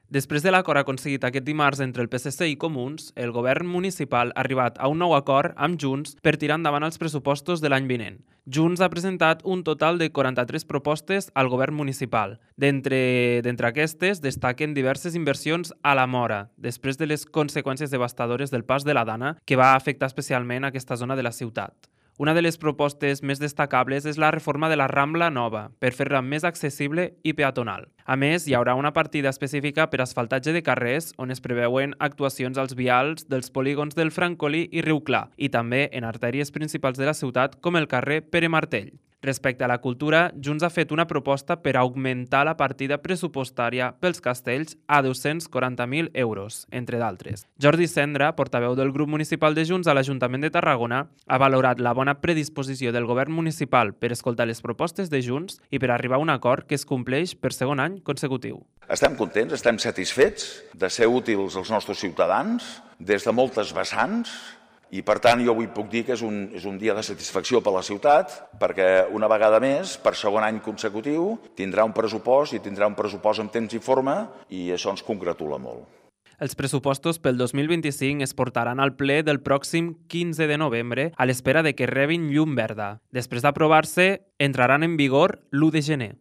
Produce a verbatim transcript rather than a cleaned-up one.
Després de l'acord aconseguit aquest dimarts entre el P S C i Comuns, el govern municipal ha arribat a un nou acord amb Junts per tirar endavant els pressupostos de l'any vinent. Junts ha presentat un total de quaranta-tres propostes al govern municipal. D'entre d'entre aquestes destaquen diverses inversions a la Mora, després de les conseqüències devastadores del pas de la Dana, que va afectar especialment aquesta zona de la ciutat. Una de les propostes més destacables és la reforma de la Rambla Nova, per fer-la més accessible i peatonal. A més, hi haurà una partida específica per asfaltatge de carrers, on es preveuen actuacions als vials dels polígons del Francolí i Riu Clar, i també en artèries principals de la ciutat, com el carrer Pere Martell. Respecte a la cultura, Junts ha fet una proposta per augmentar la partida pressupostària pels castells a dos-cents quaranta mil euros, entre d'altres. Jordi Cendra, portaveu del grup municipal de Junts a l'Ajuntament de Tarragona, ha valorat la bona predisposició del govern municipal per escoltar les propostes de Junts i per arribar a un acord que es compleix per segon any consecutiu. Estem contents, estem satisfets de ser útils als nostres ciutadans des de moltes vessants. I, per tant, jo avui puc dir que és un, és un dia de satisfacció per a la ciutat, perquè una vegada més, per segon any consecutiu, tindrà un pressupost i tindrà un pressupost en temps i forma, i això ens congratula molt. Els pressupostos pel dos mil vint-i-cinc es portaran al ple del pròxim quinze de novembre a l'espera de que rebin llum verda. Després d'aprovar-se, entraran en vigor l'u de gener.